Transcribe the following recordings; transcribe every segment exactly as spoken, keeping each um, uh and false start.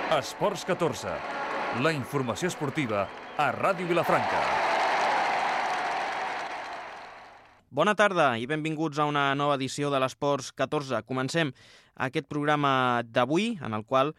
Esports catorze, la informació esportiva a Ràdio Vilafranca. Bona tarda i benvinguts a una nova edició de l'Esports catorze. Comencem aquest programa d'avui, en el qual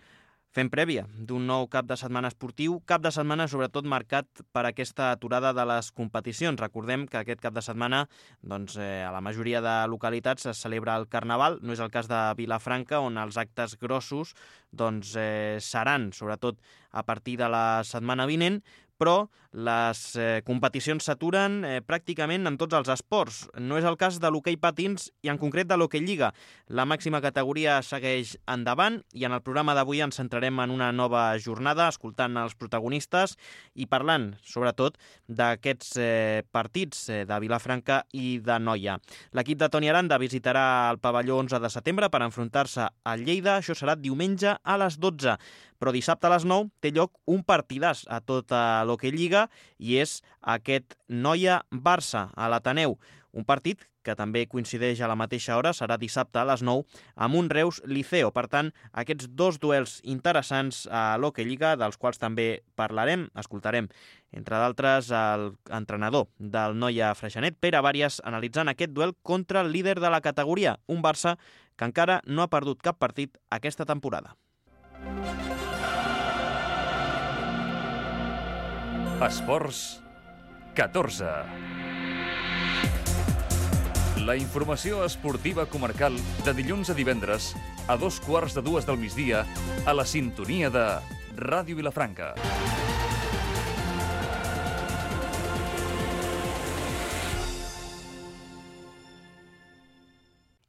fem prèvia d'un nou cap de setmana esportiu, cap de setmana sobretot marcat per aquesta aturada de les competicions. Recordem que aquest cap de setmana doncs, eh, a la majoria de localitats es celebra el Carnaval, no és el cas de Vilafranca, on els actes grossos doncs, eh, seran sobretot a partir de la setmana vinent, però les eh, competicions s'aturen eh, pràcticament en tots els esports. No és el cas de l'hoquei patins i en concret de l'hoquei lliga. La màxima categoria segueix endavant i en el programa d'avui ens centrarem en una nova jornada, escoltant els protagonistes i parlant, sobretot, d'aquests eh, partits eh, de Vilafranca i de Noia. L'equip de Toni Aranda visitarà el pavelló onze de setembre per enfrontar-se a Lleida. Això serà diumenge a les dotze. Però dissabte a les nou té lloc un partidàs a tota l'hoquei lliga i és aquest Noia-Barça a l'Ateneu. Un partit que també coincideix a la mateixa hora, serà dissabte a les nou, amb un Reus-Liceo. Per tant, aquests dos duels interessants a l'hoquei lliga, dels quals també parlarem, escoltarem, entre d'altres, l'entrenador del Noia Freixenet, Pere Vàries, analitzant aquest duel contra el líder de la categoria, un Barça que encara no ha perdut cap partit aquesta temporada. Esports catorze. La informació esportiva comarcal de dilluns a divendres a dos quarts de dues del migdia a la sintonia de Ràdio Vilafranca.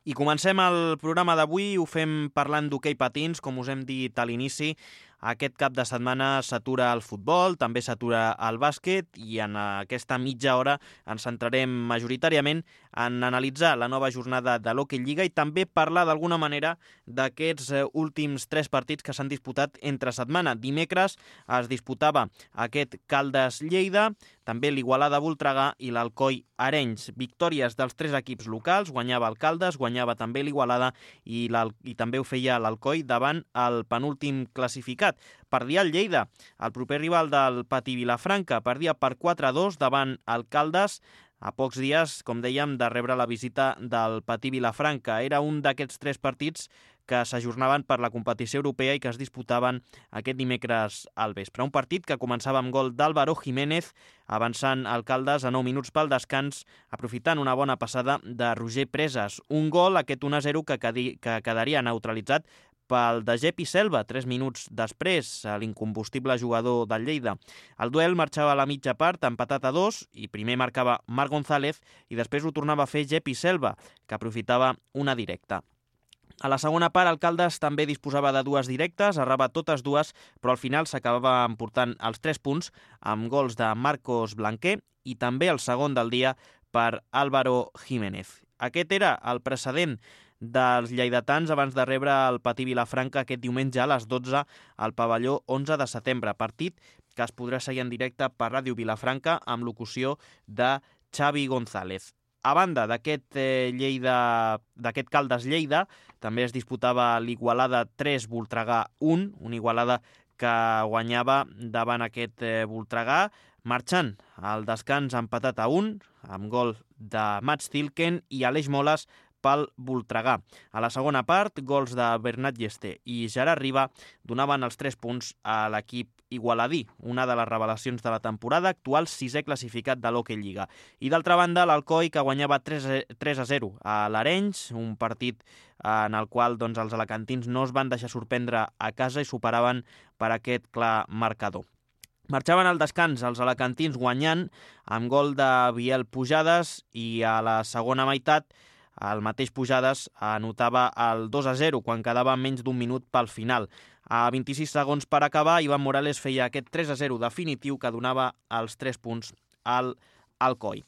I comencem el programa d'avui, ho fem parlant d'hoquei patins, com us hem dit a l'inici. Aquest cap de setmana s'atura el futbol, també s'atura el bàsquet i en aquesta mitja hora ens centrarem majoritàriament en analitzar la nova jornada de l'hoquei lliga i també parlar d'alguna manera d'aquests últims tres partits que s'han disputat entre setmana. Dimecres es disputava aquest Caldes-Lleida, també l'Igualada-Voltregà i l'Alcoi-Arenys. Victòries dels tres equips locals, guanyava el Caldes, guanyava també l'Igualada i, i també ho feia l'Alcoi davant el penúltim classificat. Perdia el Lleida, el proper rival del Patí Vilafranca, perdia per quatre a dos davant el Caldes, a pocs dies, com dèiem, de rebre la visita del Patí Vilafranca. Era un d'aquests tres partits que s'ajornaven per la competició europea i que es disputaven aquest dimecres al vespre. Un partit que començava amb gol d'Álvaro Jiménez, avançant el Caldes a nou minuts pel descans, aprofitant una bona passada de Roger Presas. Un gol, aquest un a zero, que, quedi, que quedaria neutralitzat pel de Gepi Selva, tres minuts després, l'incombustible jugador del Lleida. El duel marxava a la mitja part, empatat a dos, i primer marcava Marc González i després ho tornava a fer Gepi Selva, que aprofitava una directa. A la segona part, el Caldes també disposava de dues directes, errava totes dues, però al final s'acabava emportant els tres punts amb gols de Marcos Blanquer i també el segon del dia per Álvaro Jiménez. Aquest era el precedent dels lleidatans abans de rebre el Patí Vilafranca aquest diumenge a les dotze al pavelló onze de setembre, partit que es podrà seguir en directe per Ràdio Vilafranca amb locució de Xavi González. A banda d'aquest eh, Lleida, d'aquest Caldes-Lleida, també es disputava l'Igualada tres Voltregà un, una Igualada que guanyava davant aquest eh, Voltregà, marxant al descans empatat a un, amb gol de Mats Tilken i Aleix Moles pel Voltregà. A la segona part, gols de Bernat Llesté i Gerard Riba donaven els tres punts a l'equip igualadí, una de les revelacions de la temporada, actual sisè classificat de l'hoquei lliga. I d'altra banda, l'Alcoi, que guanyava tres a zero a l'Arenys, un partit en el qual doncs, els alacantins no es van deixar sorprendre a casa i superaven per aquest clar marcador. Marxaven al descans els alacantins guanyant amb gol de Biel Pujades i a la segona meitat el mateix Pujades anotava el dos a zero quan quedava menys d'un minut pel final. A vint-i-sis segons per acabar, Ivan Morales feia aquest tres a zero definitiu que donava els tres punts al Alcoi.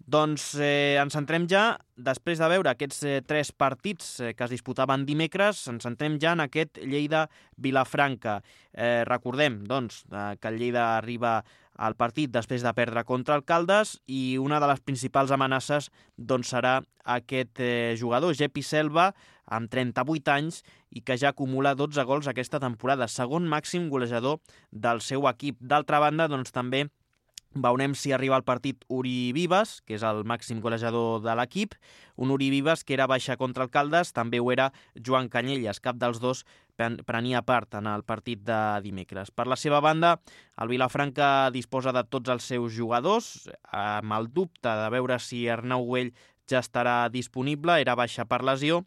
Doncs eh, ens centrem ja, després de veure aquests eh, tres partits eh, que es disputaven dimecres, ens centrem ja en aquest Lleida-Vilafranca. Eh, recordem doncs, eh, que el Lleida arriba el partit després de perdre contra el Caldes, i una de les principals amenaces doncs, serà aquest eh, jugador, Jepi Selva, amb trenta-vuit anys, i que ja acumula dotze gols aquesta temporada, segon màxim golejador del seu equip. D'altra banda, doncs, també veurem si arriba al partit Uri Vives, que és el màxim golejador de l'equip. Un Uri Vives que era baixa contra el Caldes, també ho era Joan Canyelles. Cap dels dos prenia part en el partit de dimecres. Per la seva banda, el Vilafranca disposa de tots els seus jugadors, amb el dubte de veure si Arnau Güell ja estarà disponible, era baixa per lesió,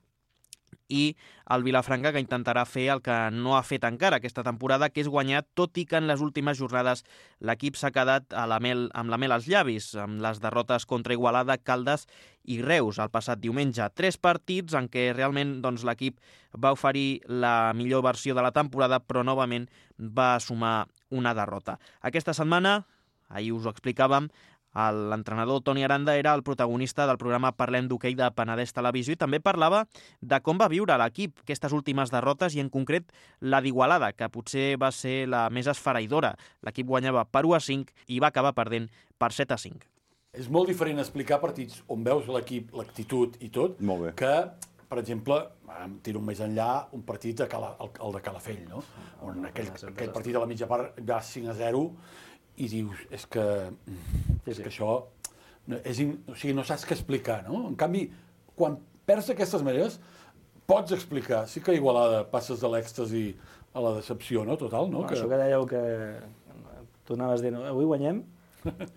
i el Vilafranca que intentarà fer el que no ha fet encara aquesta temporada, que és guanyar, tot i que en les últimes jornades l'equip s'ha quedat a la mel, amb la mel als llavis, amb les derrotes contra Igualada, Caldes i Reus el passat diumenge. Tres partits en què realment doncs, l'equip va oferir la millor versió de la temporada, però novament va sumar una derrota. Aquesta setmana, ahir us ho explicàvem, l'entrenador Toni Aranda era el protagonista del programa Parlem d'Hoquei de Penedès Televisió i també parlava de com va viure l'equip aquestes últimes derrotes i en concret la d'Igualada, que potser va ser la més esfereïdora. L'equip guanyava per u a cinc i va acabar perdent per set a cinc. És molt diferent explicar partits on veus l'equip, l'actitud i tot, que, per exemple, em tiro més enllà, un partit de Cala, el, el de Calafell, no? On aquell, aquell partit a la mitja part va cinc a zero i dius, és que, és que això, és in, o sigui, no saps què explicar, no? En canvi, quan perds d'aquestes maneres, pots explicar. Sí que a Igualada passes de l'èxtasi a la decepció, no? Total, no? no que... Això que dèieu que tu anaves dient, avui guanyem,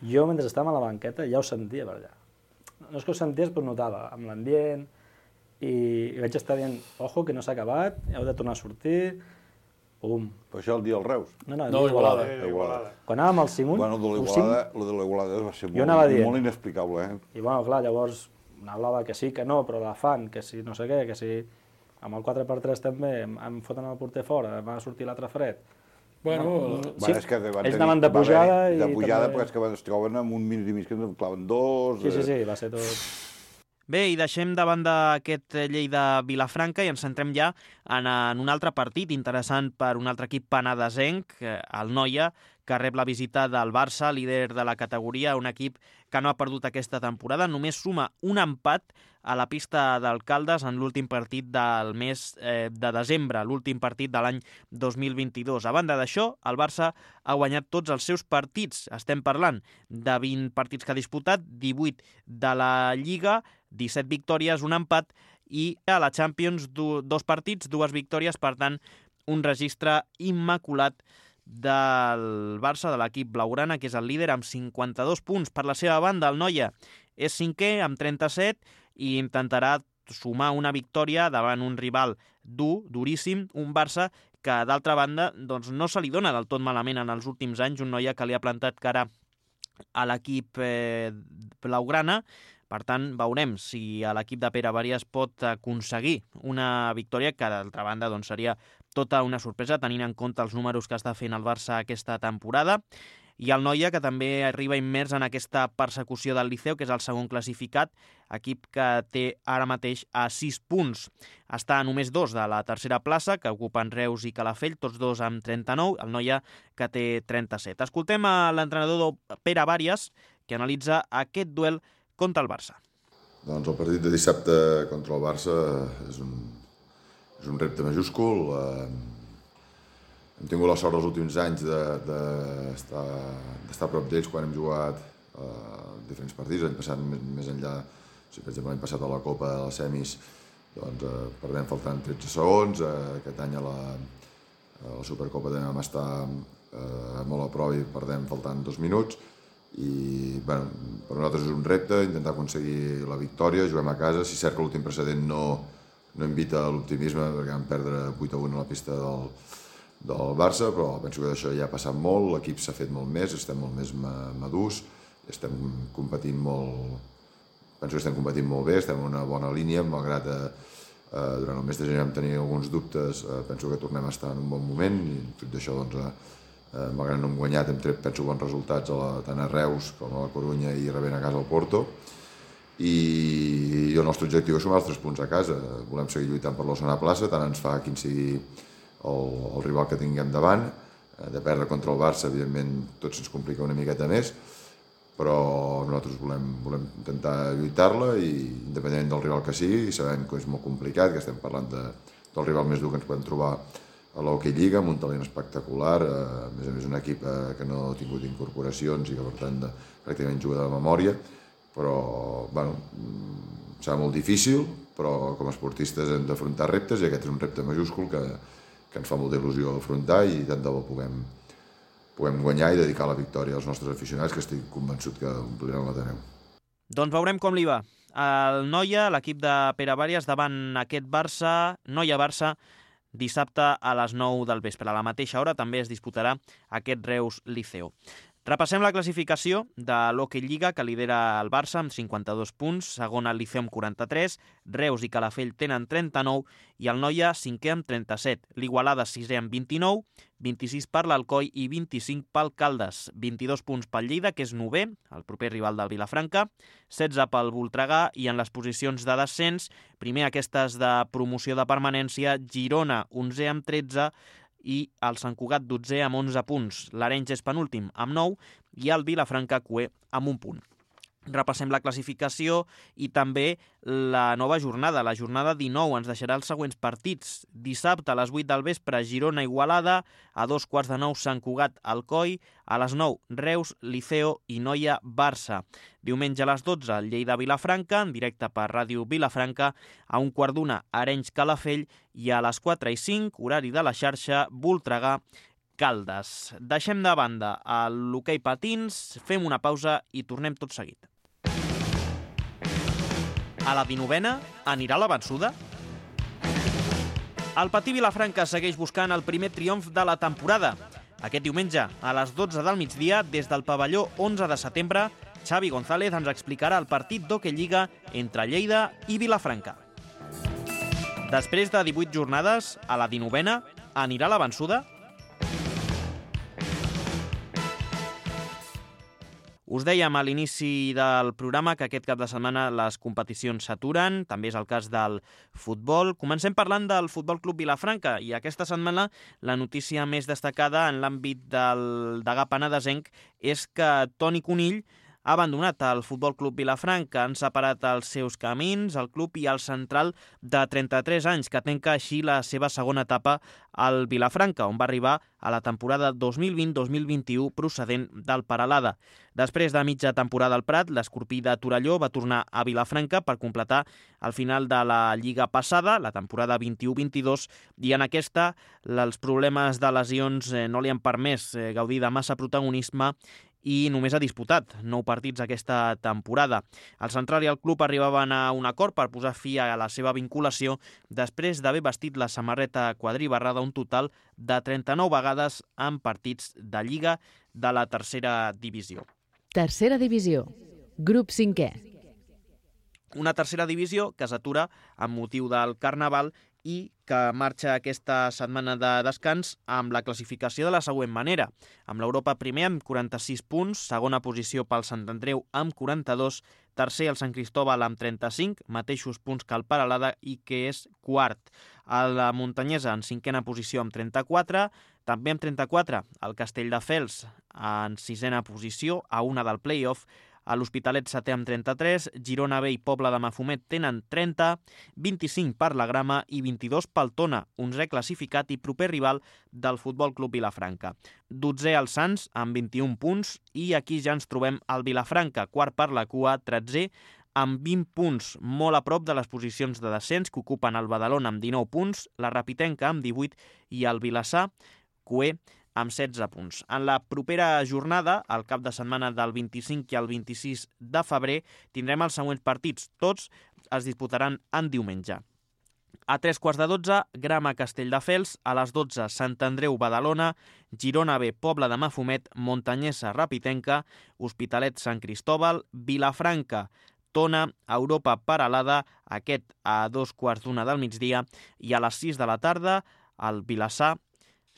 jo mentre estàvem a la banqueta ja ho sentia per allà. No és que ho senties, però ho notava, amb l'ambient, i vaig estar dient, ojo, que no s'ha acabat, heu de tornar a sortir. Pum. Però això el dia del Reus? No, no, el no, dia Igualada. Igualada. Quan anàvem al cinc un... Bueno, de l'Igualada, lo de l'Igualada va ser molt, molt inexplicable, eh? I bueno, clar, llavors n'hablava que sí, que no, però la fan, que si no sé què, que si amb el quatre per tres també em, em foten el porter fora, va sortir l'altre fred. Bueno, no, sí, bueno, és que van ells anaven de pujada i... De pujada, també... perquè és que es troben amb un minut i mig que ens claven dos... Sí, sí, sí, va ser tot... Bé, i deixem de banda aquest Lleida-Vilafranca i ens centrem ja en, en un altre partit interessant per un altre equip penedesenc, el Noia, que rep la visita del Barça, líder de la categoria, un equip que no ha perdut aquesta temporada, només suma un empat a la pista del Caldes en l'últim partit del mes eh, de desembre, l'últim partit de l'any dos mil vint-i-dos. A banda d'això, el Barça ha guanyat tots els seus partits. Estem parlant de vint partits que ha disputat, divuit de la Lliga, disset victòries, un empat, i a la Champions du- dos partits, dues victòries, per tant, un registre immaculat del Barça, de l'equip blaugrana, que és el líder amb cinquanta-dos punts. Per la seva banda, el Noia és cinquè amb trenta-set i intentarà sumar una victòria davant un rival dur, duríssim, un Barça que, d'altra banda, doncs, no se li dona del tot malament en els últims anys, un Noia que li ha plantat cara a l'equip eh, blaugrana. Per tant, veurem si l'equip de Pere Varies pot aconseguir una victòria que, d'altra banda, doncs, seria tota una sorpresa, tenint en compte els números que està fent el Barça aquesta temporada. I el Noia, que també arriba immers en aquesta persecució del Liceu, que és el segon classificat, equip que té ara mateix a sis punts. Està a només dos de la tercera plaça, que ocupen Reus i Calafell, tots dos amb trenta-nou, el Noia que té trenta-set. Escoltem a l'entrenador Pere Varies, que analitza aquest duel contra el Barça. Doncs el partit de dissabte contra el Barça és un, és un repte majúscul. Eh, hem tingut la sort els últims anys d'estar de, de a prop d'ells quan hem jugat eh, diferents partits. L'any passat, més, més enllà, si per exemple l'any passat a la Copa de les semis, doncs eh, perdem faltant tretze segons. Eh, aquest any a la, a la Supercopa també vam estar eh, molt a prop i perdem faltant dos minuts. I bueno, per nosaltres és un repte intentar aconseguir la victòria, juguem a casa. Si cert que l'últim precedent no, no invita a l'optimisme perquè vam perdre vuit a un a la pista del, del Barça, però penso que d'això ja ha passat molt, l'equip s'ha fet molt més, estem molt més madurs, estem competint molt, penso que estem competint molt bé, estem en una bona línia, malgrat eh, durant el mes de gener vam tenir alguns dubtes, eh, penso que tornem a estar en un bon moment i tot d'això doncs eh, Eh, malgrat no hem guanyat, hem tret, penso, bons resultats a la, tant a Reus com a la Corunya i rebent a casa al Porto. I, i el nostre objectiu és sumar els tres punts a casa. Volem seguir lluitant per la segona plaça, tant ens fa quin sigui el, el rival que tinguem davant. de perdre contra el Barça, evidentment, tot se'ns complica una miqueta més, però nosaltres volem, volem intentar lluitar-la i independentment del rival que sigui, i sabem que és molt complicat, que estem parlant de, del rival més dur que ens podem trobar a l'Hockey Lliga, amb un talent espectacular, a més a més un equip que no ha tingut incorporacions i que per tant de, pràcticament juga de memòria, però bueno, serà molt difícil, però com a esportistes hem d'afrontar reptes i aquest és un repte majúscul que, que ens fa molta il·lusió afrontar i tant de bo puguem puguem guanyar i dedicar la victòria als nostres aficionats, que estic convençut que ompliran l'Ateneu. Doncs veurem com li va. El Noia, l'equip de Pere Bàrias, davant aquest Barça, Noia-Barça, dissabte a les nou del vespre. A la mateixa hora també es disputarà aquest Reus-Liceo. Repassem la classificació de l'Hockey Lliga, que lidera el Barça amb cinquanta-dos punts, segon el Liceu amb quaranta-tres, Reus i Calafell tenen trenta-nou i el Noia cinquè amb trenta-set, l'Igualada sisè amb vint-i-nou, vint-i-sis per l'Alcoi i vint-i-cinc pel Caldes, vint-i-dos punts pel Lleida, que és novè, el proper rival del Vilafranca, setze pel Voltregà i en les posicions de descens, primer aquestes de promoció de permanència, Girona onzè amb tretze, i el Sant Cugat dotzè amb onze punts. L'Arenys és penúltim amb nou i el Vilafranca cué amb un punt. Repassem la classificació i també la nova jornada. La jornada dinou ens deixarà els següents partits. Dissabte a les vuit del vespre, Girona-Igualada, a dos quarts de nou Sant Cugat-Alcoi, a les nou Reus, Liceo i Noia-Barça. Diumenge a les dotze, Lleida-Vilafranca, en directe per Ràdio Vilafranca, a un quart d'una, Arenys-Calafell i a les quatre i cinc, horari de la xarxa, Voltregà, Caldes. Deixem de banda l'hoquei patins, fem una pausa i tornem tot seguit. A la dinovena anirà la vençuda? El Patí Vilafranca segueix buscant el primer triomf de la temporada. Aquest diumenge, a les dotze del migdia, des del pavelló onze de setembre, Xavi González ens explicarà el partit d'Hockey Lliga entre Lleida i Vilafranca. Després de divuit jornades, a la dinovena anirà la vençuda? Us dèiem a l'inici del programa que aquest cap de setmana les competicions s'aturen, també és el cas del futbol. Comencem parlant del Futbol Club Vilafranca i aquesta setmana la notícia més destacada en l'àmbit del degà penedesenc és que Toni Conill ha abandonat el Futbol Club Vilafranca, han separat els seus camins, el club i el central de trenta-tres anys, que tanca així la seva segona etapa al Vilafranca, on va arribar a la temporada dos mil vint dos mil vint-i-u procedent del Peralada. Després de mitja temporada al Prat, l'escorpí de Torelló va tornar a Vilafranca per completar el final de la Lliga passada, la temporada vint-i-u vint-i-dos, i en aquesta els problemes de lesions no li han permès gaudir de massa protagonisme i només ha disputat nou partits aquesta temporada. El central i el club arribaven a un acord per posar fi a la seva vinculació després d'haver vestit la samarreta quadribarrada un total de trenta-nou vegades en partits de Lliga de la tercera divisió. Tercera divisió, grup cinquè. Una tercera divisió que s'atura amb motiu del Carnaval i que marxa aquesta setmana de descans amb la classificació de la següent manera. Amb l'Europa primer amb quaranta-sis punts, segona posició pel Sant Andreu amb quaranta-dos, tercer el Sant Cristòbal amb trenta-cinc, mateixos punts que el Peralada i que és quart. A la Muntanyesa en cinquena posició amb trenta-quatre, també amb trenta-quatre el Castelldefels en sisena posició a una del play-off, a l'Hospitalet setè amb trenta-tres, Girona B i Pobla de Mafumet tenen trenta, vint-i-cinc per la Grama i vint-i-dos pel Tona, onzè classificat i proper rival del Futbol Club Vilafranca. Dotzè el Sants amb vint-i-un punts i aquí ja ens trobem al Vilafranca, quart per la cua, tretzè amb vint punts, molt a prop de les posicions de descens que ocupen el Badalona amb dinou punts, la Rapitenca amb divuit i el Vilassar, cué, amb setze punts. En la propera jornada, el cap de setmana del vint-i-cinc i el vint-i-sis de febrer, tindrem els següents partits. Tots es disputaran en diumenge. A tres quarts de dotze, Grama Castelldefels, a les dotze, Sant Andreu Badalona, Girona B Pobla de Mafumet, Montanyesa Rapitenca, Hospitalet Sant Cristòbal, Vilafranca Tona, Europa Peralada, aquest a dos quarts d'una del migdia, i a les sis de la tarda, el Vilassar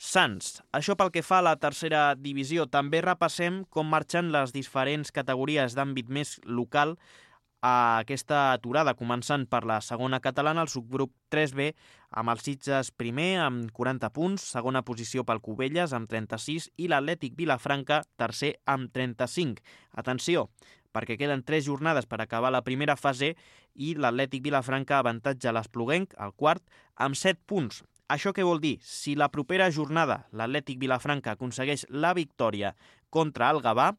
Sants. Això pel que fa a la tercera divisió. També repassem com marxen les diferents categories d'àmbit més local a aquesta aturada, començant per la segona catalana, el subgrup tres B, amb el Sitges primer amb quaranta punts, segona posició pel Cubelles amb trenta-sis i l'Atlètic Vilafranca tercer amb trenta-cinc. Atenció, perquè queden tres jornades per acabar la primera fase i l'Atlètic Vilafranca avantatja l'Espluguenc, el quart, amb set punts. Això què vol dir? Si la propera jornada l'Atlètic Vilafranca aconsegueix la victòria contra el Gavà,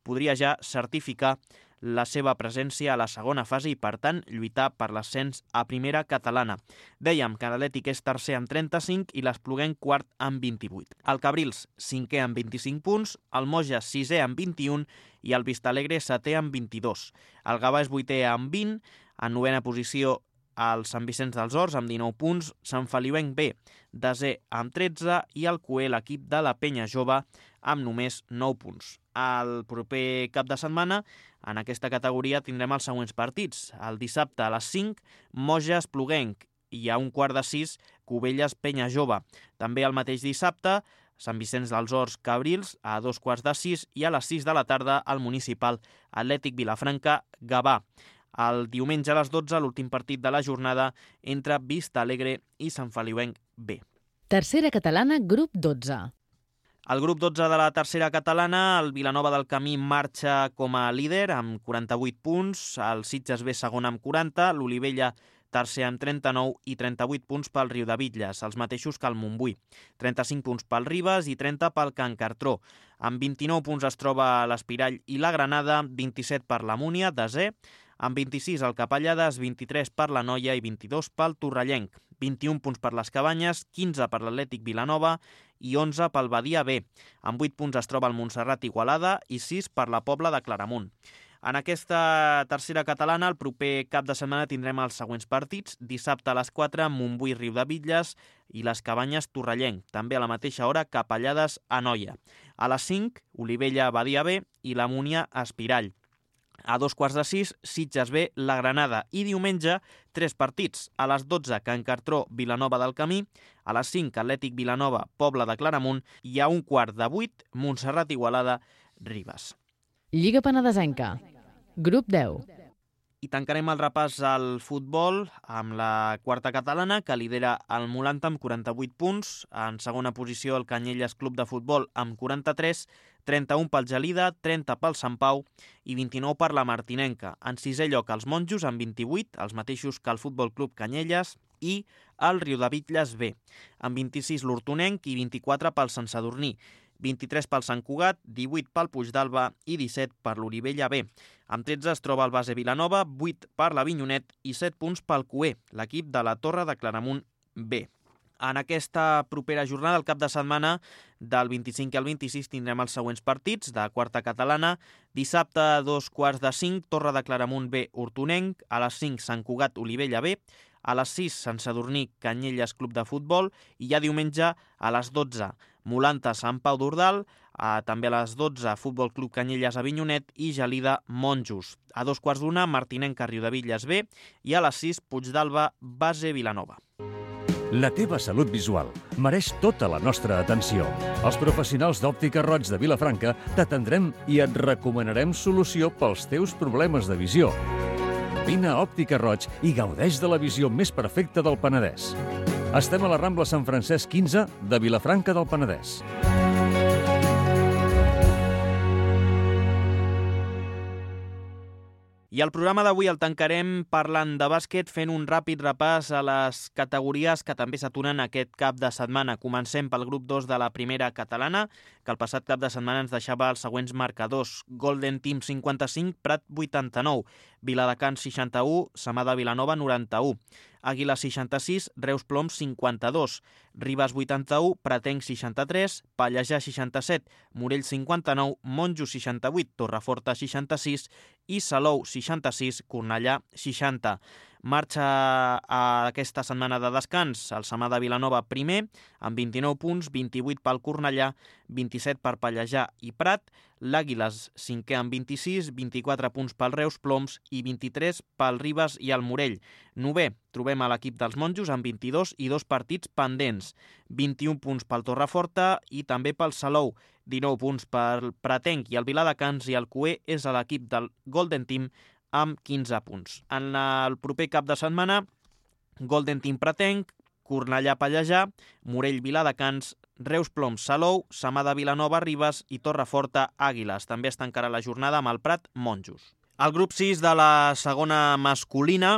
podria ja certificar la seva presència a la segona fase i, per tant, lluitar per l'ascens a primera catalana. Dèiem que l'Atlètic és tercer amb trenta-cinc i l'Espluguenc quart amb vint-i-vuit. El Cabrils, cinquè amb vint-i-cinc punts, el Moja, sisè amb vint-i-un i el Vistalegre, setè amb vint-i-dos. El Gavà és vuitè amb vint, en novena posició el Sant Vicenç dels Horts amb dinou punts, Sant Feliuenc B, desè amb tretze i el Cué, l'equip de la Penya Jove, amb només nou punts. El proper cap de setmana, en aquesta categoria, tindrem els següents partits. El dissabte a les cinc, Moja Espluguenc i a un quart de sis, Cubelles Penya Jove. També el mateix dissabte, Sant Vicenç dels Horts Cabrils a dos quarts de sis i a les sis de la tarda el municipal Atlètic Vilafranca Gavà. El diumenge a les dotze, l'últim partit de la jornada entre Vistalegre i Sant Feliuenc B. Tercera catalana, grup dotze. Al grup dotze de la tercera catalana, el Vilanova del Camí marxa com a líder amb quaranta-vuit punts, el Sitges B segon amb quaranta, l'Olivella tercer amb trenta-nou i trenta-vuit punts pel Riudebitlles, els mateixos que el Montbui. trenta-cinc punts pel Ribes i trenta pel Can Cartró. Amb vint-i-nou punts es troba l'Espirall i la Granada, vint-i-set per la Múnia, desè, amb vint-i-sis el Capellades, vint-i-tres per la Noia i vint-i-dos pel Torrellenc. vint-i-un punts per les Cabanyes, quinze per l'Atlètic Vilanova i onze pel Badia B. Amb vuit punts es troba el Montserrat Igualada i sis per la Pobla de Claramunt. En aquesta tercera catalana, el proper cap de setmana tindrem els següents partits. Dissabte a les quatre, Montbui Riudebitlles i les Cabanyes Torrellenc. També a la mateixa hora, Capellades Anoia. A les cinc, Olivella Badia B i la Múnia Espirall. A dos quarts de sis, Sitges B, la Granada. I diumenge, tres partits. A les dotze, Can Cartró, Vilanova del Camí. A les cinc, Atlètic Vilanova, Pobla de Claramunt. I a un quart de vuit, Montserrat Igualada, Ribes. Lliga Penedesenca, grup deu. I tancarem el repàs al futbol amb la quarta catalana, que lidera el Molanta amb quaranta-vuit punts. En segona posició, el Canyelles Club de Futbol amb quaranta-tres, trenta-un pel Gelida, trenta pel Sant Pau i vint-i-nou per la Martinenca. En sisè lloc, els Monjos amb vint-i-vuit, els mateixos que el Futbol Club Canyelles, i el Riudebitlles B. Amb vint-i-sis l'Hortonenc i vint-i-quatre pel Sant Sadurní. vint-i-tres pel Sant Cugat, divuit pel Puigdàlber i disset per l'Olivella B. Amb tretze es troba el Base Vilanova, vuit per l'Avinyonet i set punts pel Cué, l'equip de la Torre de Claramunt B. En aquesta propera jornada, el cap de setmana, del vint-i-cinc al vint-i-sis, tindrem els següents partits de quarta catalana. Dissabte a dos quarts de cinc, Torre de Claramunt B, Hortonenc. A les cinc, Sant Cugat, Olivella B. A les sis, Sant Sadurní, Canyelles Club de Futbol. I ja diumenge, a les dotze, Molanta, Sant Pau d'Ordal. A, també a les dotze, Futbol Club Canyelles Avinyonet i Gelida Monjos. A dos quarts d'una, Martinenca Riudebitlles B. I a les sis, Puigdàlber, Base Vilanova. La teva salut visual mereix tota la nostra atenció. Els professionals d'Òptica Roig de Vilafranca t'atendrem i et recomanarem solució pels teus problemes de visió. Vine a Òptica Roig i gaudeix de la visió més perfecta del Penedès. Estem a la Rambla Sant Francesc quinze de Vilafranca del Penedès. I el programa d'avui el tancarem parlant de bàsquet, fent un ràpid repàs a les categories que també s'aturen aquest cap de setmana. Comencem pel grup dos de la primera catalana, que el passat cap de setmana ens deixava els següents marcadors. Golden Team cinquanta-cinc, Prat vuitanta-nou, Viladecans seixanta-u, Samada Vilanova noranta-u, Àguila seixanta-sis, Reus Ploms cinquanta-dos, Ribes vuitanta-u, Pratenc seixanta-tres, Pallejà seixanta-set, Morell cinquanta-nou, Monjos seixanta-vuit, Torreforta seixanta-sis i Salou seixanta-sis, Cornellà seixanta. Marxa a aquesta setmana de descans el Samada Vilanova primer, amb vint-i-nou punts, vint-i-vuit pel Cornellà, vint-i-set per Pallejà i Prat, l'Àguiles cinquè amb vint-i-sis, vint-i-quatre punts pel Reus Ploms i vint-i-tres pel Ribes i el Morell. Novè, trobem a l'equip dels Monjos amb vint-i-dos i dos partits pendents, vint-i-un punts pel Torreforta i també pel Salou, dinou punts pel Pratenc i el Viladecans, i el Cué és a l'equip del Golden Team amb quinze punts. En el proper cap de setmana, Golden Team Pretenc, Cornellà Pallejà, Morell Viladecans, Reus Ploms Salou, Samà de Vilanova Ribes i Torreforta Àguiles. També es tancarà la jornada amb el Prat Monjos. Al grup sis de la segona masculina,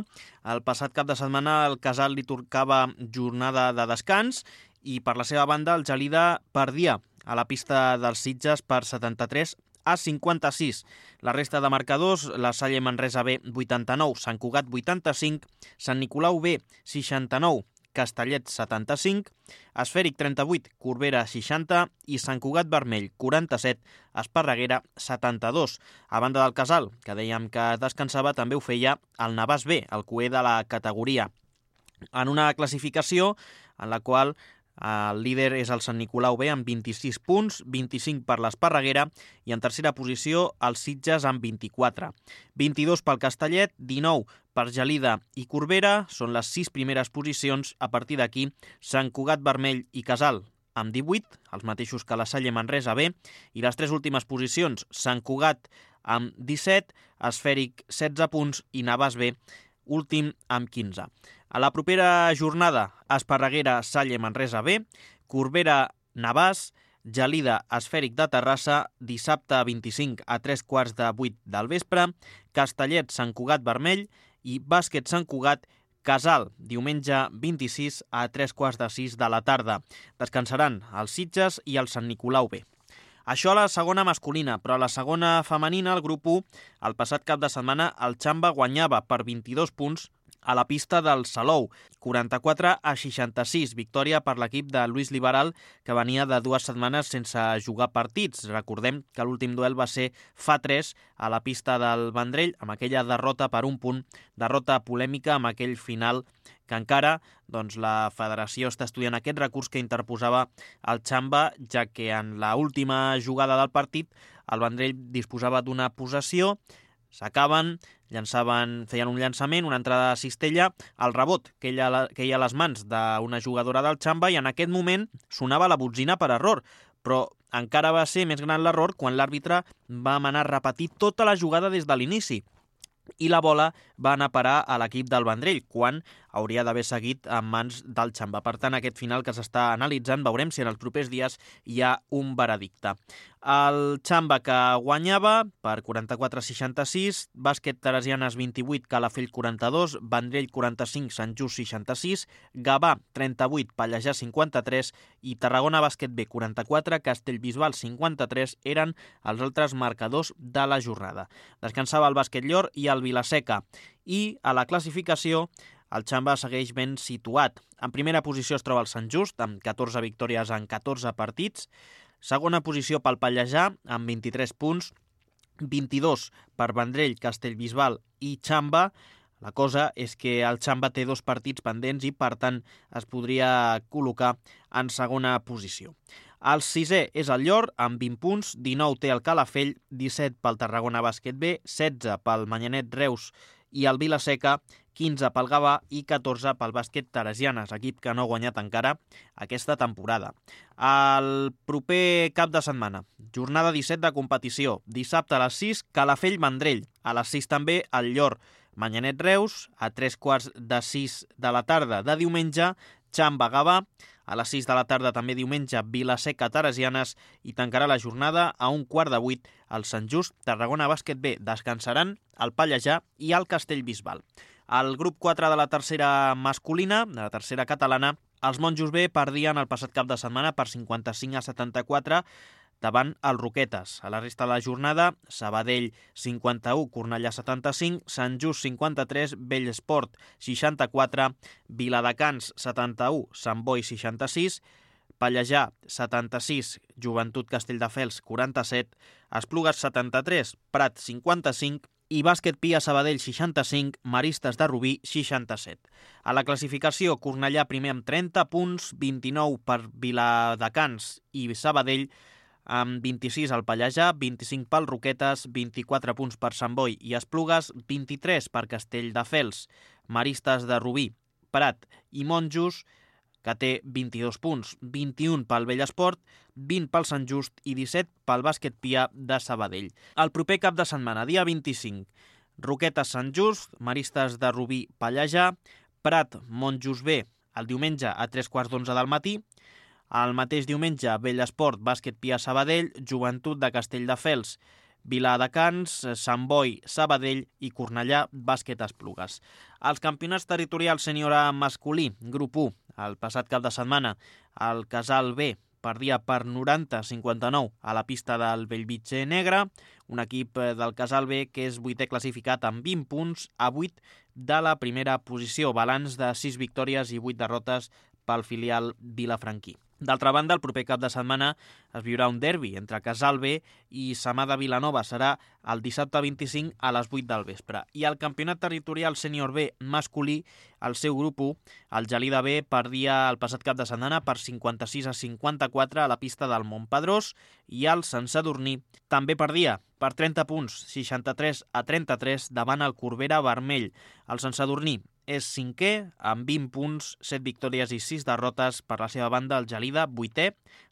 el passat cap de setmana el Casal li tocava jornada de descans i per la seva banda el Gelida perdia a la pista dels Sitges per setanta-tres a cinquanta-sis. La resta de marcadors, la Salle Manresa B vuitanta-nou, Sant Cugat vuitanta-cinc, Sant Nicolau B seixanta-nou, Castellet setanta-cinc, Esfèric trenta-vuit, Corbera seixanta i Sant Cugat Vermell quaranta-set, Esparreguera setanta-dos. A banda del Casal, que dèiem que descansava, també ho feia el Navàs B, el cuer de la categoria. En una classificació en la qual el líder és el Sant Nicolau B amb vint-i-sis punts, vint-i-cinc per l'Esparreguera i en tercera posició els Sitges amb vint-i-quatre. vint-i-dos pel Castellet, dinou per Gelida i Corbera, són les sis primeres posicions. A partir d'aquí, Sant Cugat Vermell i Casal amb divuit, els mateixos que la Salle Manresa B, i les tres últimes posicions, Sant Cugat amb disset, Esfèric setze punts i Navàs B últim amb quinze. A la propera jornada, Esparreguera, Salle, Manresa B, Corbera, Navàs, Gelida, Esfèric de Terrassa, dissabte vint-i-cinc a tres quarts de vuit del vespre, Castellet, Sant Cugat Vermell i Bàsquet Sant Cugat, Casal, diumenge vint-i-sis a tres quarts de sis de la tarda. Descansaran els Sitges i el Sant Nicolau B. Això a la segona masculina, però a la segona femenina, el grup u, el passat cap de setmana, el Xamba guanyava per vint-i-dos punts a la pista del Salou, quaranta-quatre a seixanta-sis, victòria per l'equip de Lluís Liberal, que venia de dues setmanes sense jugar partits. Recordem que l'últim duel va ser fa tres a la pista del Vendrell, amb aquella derrota per un punt, derrota polèmica amb aquell final que encara doncs, la federació està estudiant aquest recurs que interposava el Xamba, ja que en l'última jugada del partit el Vendrell disposava d'una possessió, s'acaben, llançaven, feien un llançament, una entrada de cistella, el rebot que hi ha, que hi ha a les mans d'una jugadora del Xamba i en aquest moment sonava la botzina per error, però encara va ser més gran l'error quan l'àrbitre va manar a repetir tota la jugada des de l'inici i la bola va anar a parar a l'equip del Vendrell, quan hauria d'haver seguit en mans del Xamba. Per tant, aquest final que s'està analitzant, veurem si en els propers dies hi ha un veredicte. El Xamba que guanyava per quaranta-quatre a seixanta-sis, Bàsquet Teresianes vint-i-vuit, Calafell quaranta-dos, Vendrell quaranta-cinc, Sant Just seixanta-sis, Gavà trenta-vuit, Pallejà cinquanta-tres i Tarragona Bàsquet B quaranta-quatre, Castellbisbal cinquanta-tres eren els altres marcadors de la jornada. Descansava el Bàsquet Llor i el Vilaseca. I a la classificació el Xamba segueix ben situat. En primera posició es troba el Sant Just, amb catorze victòries en catorze partits. Segona posició pel Pallejà, amb vint-i-tres punts. vint-i-dos per Vendrell, Castellbisbal i Xamba. La cosa és que el Xamba té dos partits pendents i, per tant, es podria col·locar en segona posició. El sisè és el Llor, amb vint punts, dinou té el Calafell, disset pel Tarragona Bàsquet B, setze pel Manyanet Reus i el Vilaseca, quinze pel Gavà i catorze pel Bàsquet Teresianes, equip que no ha guanyat encara aquesta temporada. El proper cap de setmana, jornada disset de competició, dissabte a les sis, Calafell-Vendrell, a les sis també el Llor, Manyanet Reus, a tres quarts de sis de la tarda de diumenge, Xamba-Gavà, a les sis de la tarda també diumenge Vilaseca-Teresianes i tancarà la jornada a un quart de vuit el Sant Just, Tarragona Bàsquet B. Descansaran el Pallejà i el Castellbisbal. Al grup quatre de la tercera masculina, de la tercera catalana, els Monjos B perdien el passat cap de setmana per cinquanta-cinc a setanta-quatre davant els Roquetes. A la resta de la jornada, Sabadell cinquanta-u, Cornellà setanta-cinc, Sant Just cinquanta-tres, Bellesport seixanta-quatre, Viladecans setanta-u, Sant Boi seixanta-sis, Pallejà setanta-sis, Joventut Castelldefels quaranta-set, Esplugues setanta-tres, Prat cinquanta-cinc i Bàsquet Pia Sabadell seixanta-cinc, Maristes de Rubí seixanta-set. A la classificació, Cornellà primer amb trenta punts, vint-i-nou per Viladecans i Sabadell, amb vint-i-sis al Pallejà, vint-i-cinc pel Roquetes, vint-i-quatre punts per Sant Boi i Esplugues, vint-i-tres per Castelldefels, Maristes de Rubí, Prat i Monjos, que té vint-i-dos punts, vint-i-un pel Bellesport, vint pel Sant Just i disset pel Bàsquet Pia de Sabadell. El proper cap de setmana, dia vint-i-cinc, Roquetes Sant Just, Maristes de Rubí Pallejà, Prat Montjuïc el diumenge a tres quarts d'onze del matí, el mateix diumenge Bellesport Bàsquet Pia Sabadell, Joventut de Castelldefels, Viladecans, Sant Boi, Sabadell i Cornellà Bàsquet Esplugues. Els campionats territorials sènior A masculí, grup u, el passat cap de setmana, el Casal B perdia per noranta a cinquanta-nou a la pista del Bellvitge Negre, un equip del Casal B que és vuitè classificat amb vint punts a vuit de la primera posició, balanç de sis victòries i vuit derrotes pel filial vilafranquí. D'altra banda, el proper cap de setmana es viurà un derbi entre Casal B i Samà de Vilanova. Serà el dissabte vint-i-cinc a les vuit del vespre. I el campionat territorial sènior B masculí, el seu grup u, el Gelida B, perdia el passat cap de setmana per cinquanta-sis a cinquanta-quatre a la pista del Montpedrós i el Sant Sadurní també perdia per trenta punts, seixanta-tres a trenta-tres, davant el Corbera Vermell. El Sant Sadurní és cinquè, amb vint punts, set victòries i sis derrotes. Per la seva banda, el Gelida, vuitè,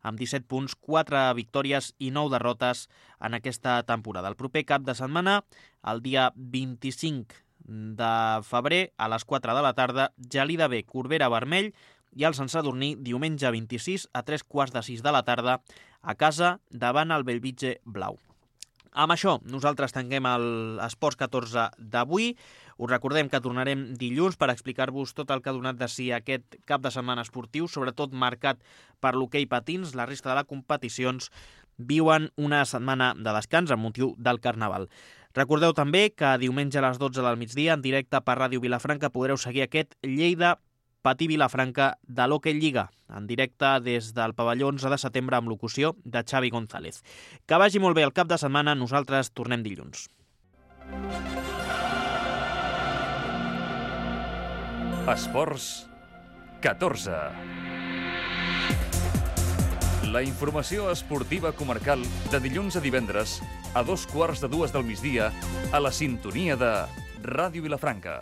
amb disset punts, quatre victòries i nou derrotes en aquesta temporada. El proper cap de setmana, el dia vint-i-cinc de febrer, a les quatre de la tarda, Gelida B, Corbera Vermell, i el Sant Sadurní, diumenge vint-i-sis, a tres quarts de sis de la tarda, a casa, davant el Bellvitge Blau. Amb això, nosaltres tanquem l'Esports catorze d'avui. Us recordem que tornarem dilluns per explicar-vos tot el que ha donat de si aquest cap de setmana esportiu, sobretot marcat per l'hoquei patins. La resta de les competicions viuen una setmana de descans amb motiu del Carnaval. Recordeu també que diumenge a les dotze del migdia, en directe per Ràdio Vilafranca, podreu seguir aquest Lleida Patí Vilafranca de l'Hockey Lliga, en directe des del pavelló onze de setembre amb locució de Xavi González. Que vagi molt bé el cap de setmana, nosaltres tornem dilluns. Esports catorze. La informació esportiva comarcal de dilluns a divendres a dos quarts de dues del migdia a la sintonia de Ràdio Vilafranca.